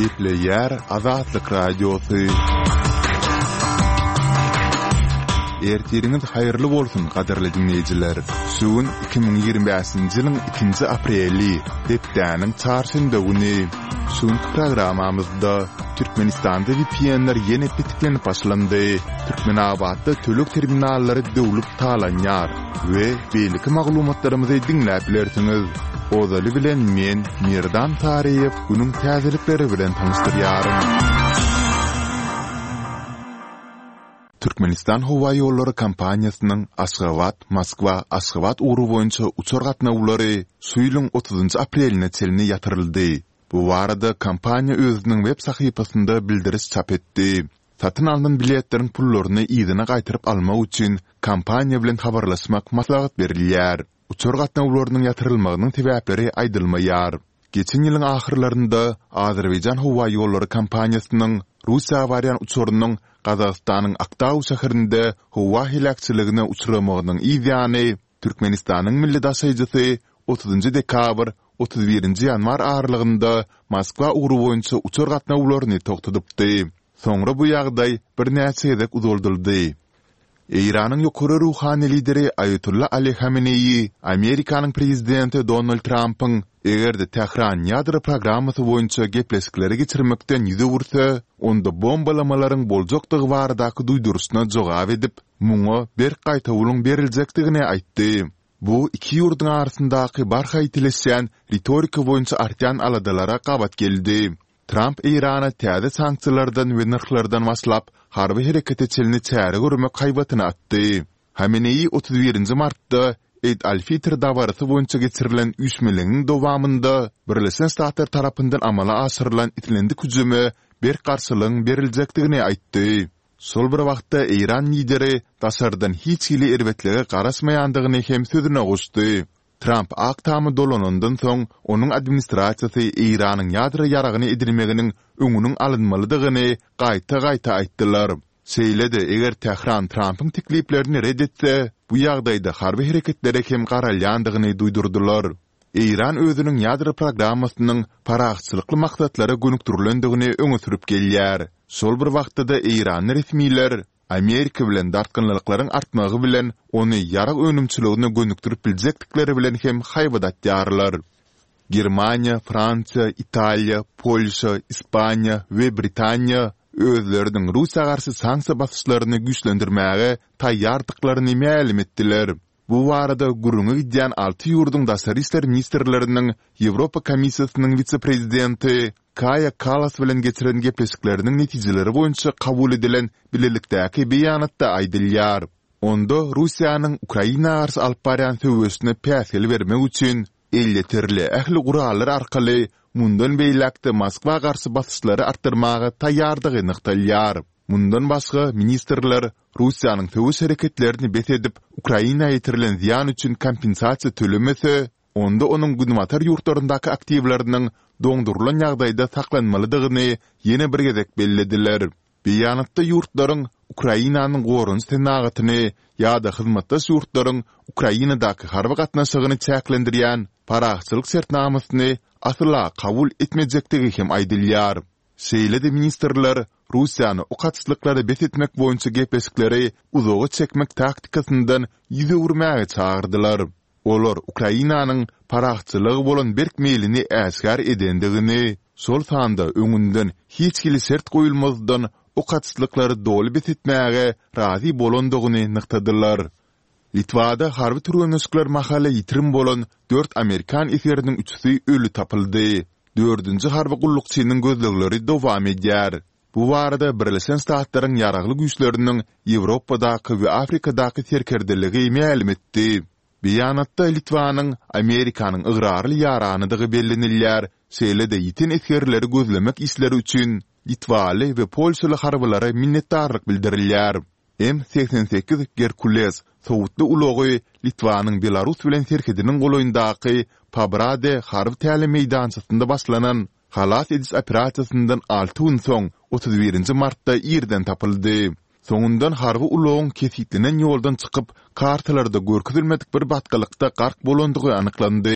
Gepleýär Azatlyk Radiosy. Ertiriňiz haýyrly bolsun, gadyrly diňleýjiler! Şu gün 2025-nji ýylyň ikinji apreli, hepdäniň çarşenbe güni. Şu günki programmamyzda Türkmenistanda VPN-ler ýene petiklenip başlandy, Türkmenabatda töleg terminallary döwlüp talanýar we beýleki maglumatlarymyzy diňläp bilersiňiz. Ozaly bilen men, Merdan Saryýew günüň täzelikleri bilen tanyşdyrýaryn. Türkmenistan howaýollary kompaniýasynyň Aşgabat, Moskwa, Aşgabat ugry boýunça uçar gatnawlary şu ýylyň otuzynjy apreline çenli ýatyryldy. Bu barada kompaniýa özüniň web sahypasynda bildiriş çap etdi. Satyn alnan biletleriň pullaryny yzyna gaýtaryp almak üçin kompaniýa bilen habarlaşmak maslahat berilýär. Uçar gatnawlarynyň ýatyrylmagynyň sebäpleri aýdylmaýar. Geçen ýylyň ahyrlarynda Azerbaýjan howaýollary kompaniýasynyň Russiýa barýan uçarynyň Gazagystanyň Aktau şäherinde howa heläkçiligine uçramagynyň yz ýany, Türkmenistanyň milli daşaýjysy otuzynjy dekabr, 31-nji ýanwar aralygynda Moskwa ugry boýunça uçar gatnawlaryny togtadypdy. Soňra bu ýagdaý birnäçe gezek uzaldyldy. Eýranyň ýokary ruhany lideri Aýatolla Ali Hameneýi Amerikanyň prezidenti Donald Trampyň eger-de Tähran ýadro programmasy boýunça gepleşikleri geçirmekden ýüz öwürse, onda bombalamalaryň boljakdygy baradaky duýduryşyna jogap edip, muňa berk gaýtawulyň beriljekdigini aýtdy. Bu iki ýurduň arasyndaky barha ýitileşýän ritorika boýunça artýan aladalara gabat geldi. Tramp Eýrana täze sanksiýalardan we nyrhlardan başlap, harby herekete çenli çäre görmek haýbatyny atdy. Hameneýi 31-nji martda Eid al-Fitr dabarasy boýunça geçirilen üýşmeleňiň dowamynda Birleşen Ştatlar tarapyndan amala aşyrylan islendik hüjüme berk garşylygyň beriljekdigini aýtdy. Şol bir wagtda eýran lideri daşardan hiç hili erbetlige garaşmaýandygyny hem sözüne goşdy. Tramp Ak Tama dolanandan soň, onuň administrasiýasy Eýranyň ýadro ýaragyny edinmeginiň öňüniň alynmalydygyny gaýta-gaýta aýtdylar. Şeýle-de, eger Tähran Trampyň tekliplerini ret etse, bu ýagdaýda harby hereketlere hem garalýandygyny duýdurdylar. Eýran özüniň ýadro programmasynyň parahatçylykly maksatlara gönükdirilendigini öňe sürüp gelýär. Şol bir wagtda-da eýranly resmiler Amerika bilen dartgynlylyklaryň artmagy bilen ony ýarag önümçiligine gönükdirip biljekdikleri bilen hem haýbat atýarlar. Germaniýa, Fransiýa, Italiýa, Polşa, Ispaniýa we Britaniýa özleriniň Russiýa garşy sanksiýa basyşlaryny güýçlendirmäge taýýardyklaryny mälim etdiler. Bu barada gürrüňi gidýän alty ýurduň daşary işler ministrleriniň Ýewropa Komissiýasynyň wise-prezidenti Kaýa Kallas bilen geçiren gepleşikleriniň netijeleri boýunça kabul edilen bilelikdäki beýanatda aýdylýar. Onda Russiýanyň Ukraina garşy alyp barýan söweşine päsgel bermek üçin elýeterli ähli gurallar arkaly mundan beýläk-de Moskwa garşy basyşlary artdyrmaga taýýardygy nygtalýar. Mundan başga, ministrler Russiýanyň söweş hereketlerini bes edip, Ukraina ýetirilen zyýan üçin kompensasiýa tölemese, onda onuň günbatar ýurtlaryndaky aktiwleriniň doňdurylan ýagdaýda saklanmalydygyny ýene bir gezek bellediler. Beýanatda ýurtlaryň Ukrainanyň goranyş senagatyny ýa-da hyzmatdaş ýurtlaryň Ukrainadaky harby gatnaşygyny çäklendirýän parahatçylyk şertnamasyny asla kabul etmejekdigi hem aýdylýar. Şeýle-de ministrler Russiýany ok atyşlyklary bes etmek boýunça gepleşikleri uzaga çekmek taktikasyndan ýüz öwürmäge çagyrdylar. Olar Ukrainanyň parahatçylyga bolan berk meýlini äşgär edendigini, şol sanda öňünden hiç hili şert goýulmazdan ok atyşlyklary doly bes etmäge razy bolandygyny nygtadylar. Litwada harby türgenleşikler mahaly ýitirim bolan dört amerikan esgeriniň üçüsi öli tapyldy. Dördünji harby gullukçynyň gözlegleri dowam edýär. Bu barada Birleşen Ştatlaryň Ýaragly Güýçleriniň Ýewropadaky we Afrikadaky serkerdeligi mälim etdi. Beýanatda Litwanyň Amerikanyň ygrarly ýaranydygy bellenilýär, şeýle-de ýiten esgerleri gözlemek işleri üçin litwaly we polşaly harbylara minnetdarlyk bildirilýär. M 88 Gerkules sowutly ulagy Litwanyň Belarus bilen serhediniň golaýyndaky Pabrade harby tälim meýdançasynda başlanan halas ediş operasiýasyndan alty gün soň, 31-nji martda irden tapyldy. Soňundan harby ulagyň kesgitlenen ýoldan çykyp, kartalarda görkezilmedik bir batgalykda gark bolandygy anyklandy.